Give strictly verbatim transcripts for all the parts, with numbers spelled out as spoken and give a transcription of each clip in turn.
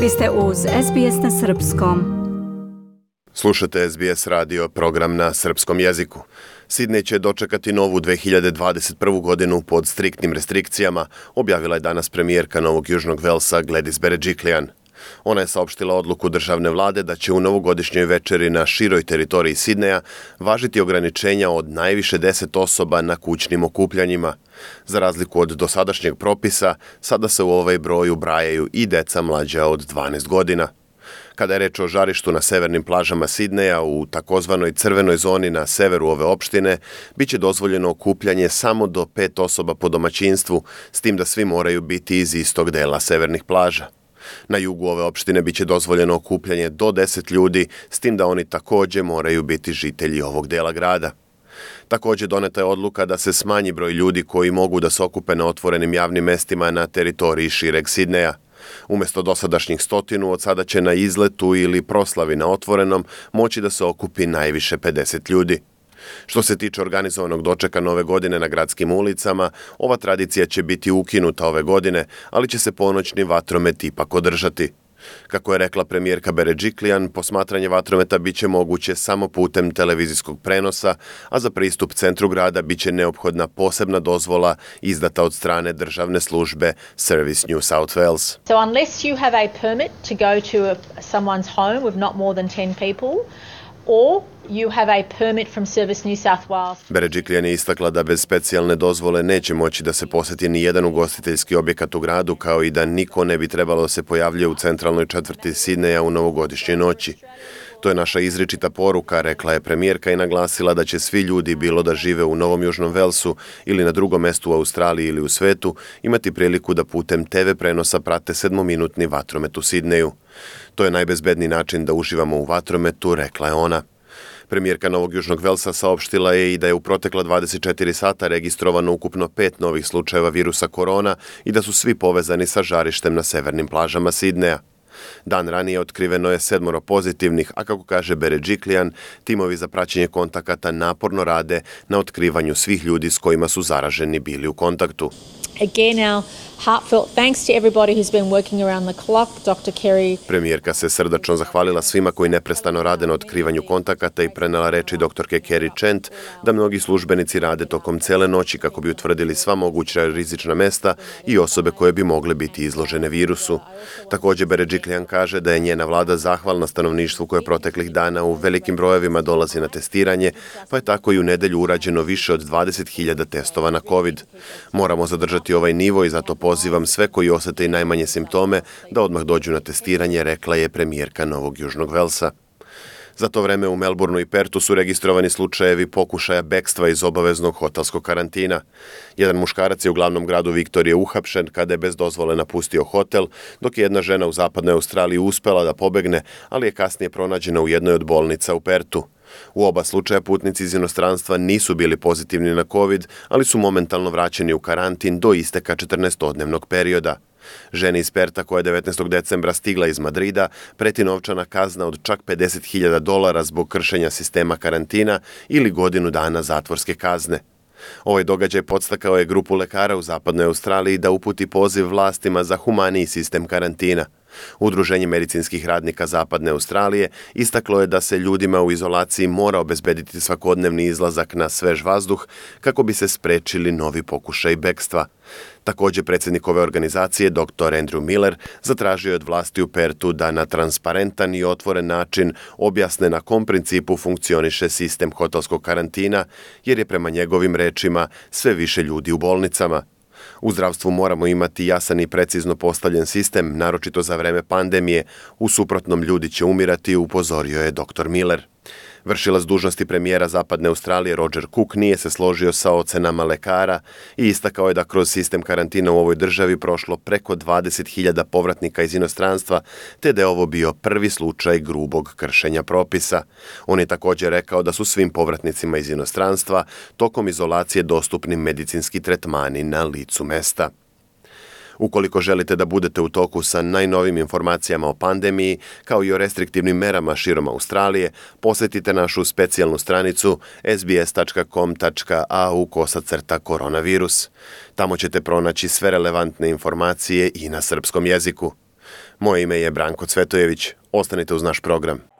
Vi ste uz S B S na srpskom. Slušate S B S radio, program na srpskom jeziku. Sidnej će dočekati novu dve hiljade dvadeset prvu godinu pod striktnim restrikcijama, objavila je danas premijerka Novog Južnog Velsa Gladys Berejiklian. Ona je saopštila odluku državne vlade da će u novogodišnjoj večeri na široj teritoriji Sidneja važiti ograničenja od najviše deset osoba na kućnim okupljanjima. Za razliku od dosadašnjeg propisa, sada se u ovaj broj ubrajaju i deca mlađa od dvanaest godina. Kada je reč o žarištu na severnim plažama Sidneja u takozvanoj crvenoj zoni na severu ove opštine, bit će dozvoljeno okupljanje samo do pet osoba po domaćinstvu, s tim da svi moraju biti iz istog dela severnih plaža. Na jugu ove opštine biće dozvoljeno okupljanje do deset ljudi, s tim da oni također moraju biti žitelji ovog dela grada. Također doneta je odluka da se smanji broj ljudi koji mogu da se okupe na otvorenim javnim mestima na teritoriji šireg Sidneja. Umjesto dosadašnjih stotinu, od sada će na izletu ili proslavi na otvorenom moći da se okupi najviše pedeset ljudi. Što se tiče organizovanog dočeka nove godine na gradskim ulicama, ova tradicija će biti ukinuta ove godine, ali će se ponoćni vatromet ipak održati. Kako je rekla premijerka Berejiklian, posmatranje vatrometa biće moguće samo putem televizijskog prenosa, a za pristup centru grada biće neophodna posebna dozvola izdata od strane državne službe Service New South Wales. So unless you have a permit to go to a, someone's home with not more than ten people, or you have a permit from Service New South Wales. Berejiklian je istakla da bez specijalne dozvole neće moći da se posjeti ni jedan ugostiteljski objekat u gradu, kao i da niko ne bi trebalo da se pojavljuje u centralnoj četvrti Sidneja u novogodišnjoj noći. To je naša izričita poruka, rekla je premijerka i naglasila da će svi ljudi, bilo da žive u Novom Južnom Velsu ili na drugom mestu u Australiji ili u svetu, imati priliku da putem te ve prenosa prate sedmominutni vatromet u Sidneju. To je najbezbedniji način da uživamo u vatrometu, rekla je ona. Premijerka Novog Južnog Velsa saopštila je i da je u protekla dvadeset četiri sata registrovano ukupno pet novih slučajeva virusa korona i da su svi povezani sa žarištem na severnim plažama Sidneja. Dan ranije otkriveno je sedmoro pozitivnih, a kako kaže Berejiklian, timovi za praćenje kontakata naporno rade na otkrivanju svih ljudi s kojima su zaraženi bili u kontaktu. Again, our heartfelt thanks to everybody who's been working around the clock. doktor Kerry. Premijerka se srdačno zahvalila svima koji neprestano rade na otkrivanju kontakata i prenela reči doktorke Kerry Chant da mnogi službenici rade tokom cele noći kako bi utvrdili sva moguća rizična mesta i osobe koje bi mogle biti izložene virusu. Također Berejiklian kaže da je njena vlada zahvalna stanovništvu koje proteklih dana u velikim brojevima dolazi na testiranje, pa je tako i u nedelju urađeno više od dvadeset hiljada testova na COVID. Moramo zadržati ovaj nivo i zato pozivam sve koji osete i najmanje simptome da odmah dođu na testiranje, rekla je premijerka Novog Južnog Velsa. Za to vreme u Melbourneu i Pertu su registrovani slučajevi pokušaja bekstva iz obaveznog hotelskog karantina. Jedan muškarac je u glavnom gradu Viktorije uhapšen kada je bez dozvole napustio hotel, dok je jedna žena u zapadnoj Australiji uspela da pobegne, ali je kasnije pronađena u jednoj od bolnica u Pertu. U oba slučaja putnici iz inostranstva nisu bili pozitivni na COVID, ali su momentalno vraćeni u karantin do isteka četrnaestodnevnog perioda. Ženi iz Perta, koja je devetnaestog decembra stigla iz Madrida, preti novčana kazna od čak pedeset hiljada dolara zbog kršenja sistema karantina ili godinu dana zatvorske kazne. Ovaj događaj podstakao je grupu lekara u zapadnoj Australiji da uputi poziv vlastima za humaniji sistem karantina. Udruženje medicinskih radnika Zapadne Australije istaklo je da se ljudima u izolaciji mora obezbediti svakodnevni izlazak na svež vazduh kako bi se sprečili novi pokušaj bekstva. Također predsjednik ove organizacije, doktor Andrew Miller, zatražio je od vlasti u Pertu da na transparentan i otvoren način objasne na kom principu funkcioniše sistem hotelskog karantina, jer je prema njegovim rečima sve više ljudi u bolnicama. U zdravstvu moramo imati jasan i precizno postavljen sistem, naročito za vreme pandemije, u suprotnom ljudi će umirati, upozorio je doktor Miller. Vršilac dužnosti premijera Zapadne Australije Roger Cook nije se složio sa ocenama lekara i istakao je da kroz sistem karantina u ovoj državi prošlo preko dvadeset hiljada povratnika iz inostranstva, te da je ovo bio prvi slučaj grubog kršenja propisa. On je također rekao da su svim povratnicima iz inostranstva tokom izolacije dostupni medicinski tretmani na licu mesta. Ukoliko želite da budete u toku sa najnovim informacijama o pandemiji, kao i o restriktivnim merama širom Australije, posjetite našu specijalnu stranicu s b s tačka com tačka a u kosacrta koronavirus. Tamo ćete pronaći sve relevantne informacije i na srpskom jeziku. Moje ime je Branko Cvetojević. Ostanite uz naš program.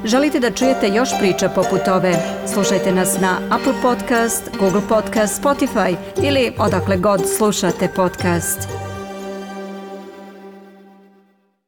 Želite da čujete još priča poput ove? Slušajte nas na Apple Podcast, Google Podcast, Spotify ili odakle god slušate podcast.